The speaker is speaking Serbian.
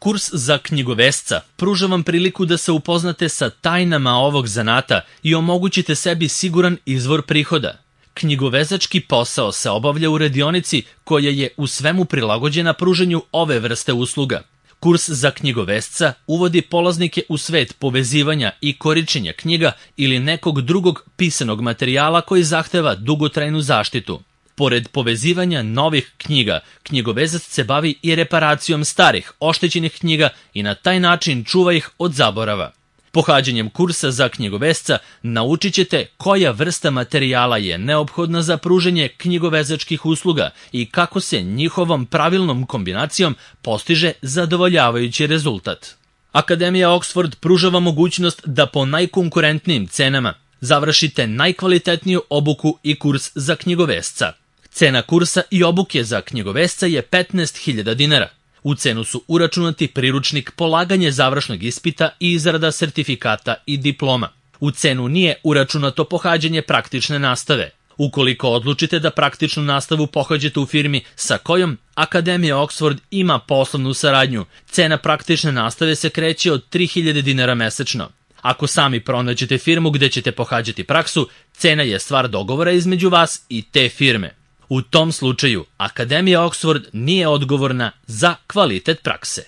Kurs za knjigovesca pruža vam priliku da se upoznate sa tajnama ovog zanata i omogućite sebi siguran izvor prihoda. Knjigovezački posao se obavlja u radionici koja je u svemu prilagođena pružanju ove vrste usluga. Kurs za knjigovesca uvodi polaznike u svet povezivanja i korišćenja knjiga ili nekog drugog pisanog materijala koji zahteva dugotrajnu zaštitu. Pored povezivanja novih knjiga, knjigovezac se bavi i reparacijom starih, oštećenih knjiga i na taj način čuva ih od zaborava. Pohađanjem kursa za knjigovesca naučit ćete koja vrsta materijala je neophodna za pružanje knjigovezačkih usluga i kako se njihovom pravilnom kombinacijom postiže zadovoljavajući rezultat. Akademija Oxford pruža vam mogućnost da po najkonkurentnijim cenama završite najkvalitetniju obuku i kurs za knjigovesca. Cena kursa i obuke za knjigovesca je 15.000 dinara. U cenu su uračunati priručnik, polaganje završnog ispita i izrada sertifikata i diploma. U cenu nije uračunato pohađanje praktične nastave. Ukoliko odlučite da praktičnu nastavu pohađate u firmi sa kojom Akademija Oxford ima poslovnu saradnju, cena praktične nastave se kreće od 3.000 dinara mesečno. Ako sami pronađete firmu gde ćete pohađati praksu, cena je stvar dogovora između vas i te firme. U tom slučaju, Akademija Oxford nije odgovorna za kvalitet prakse.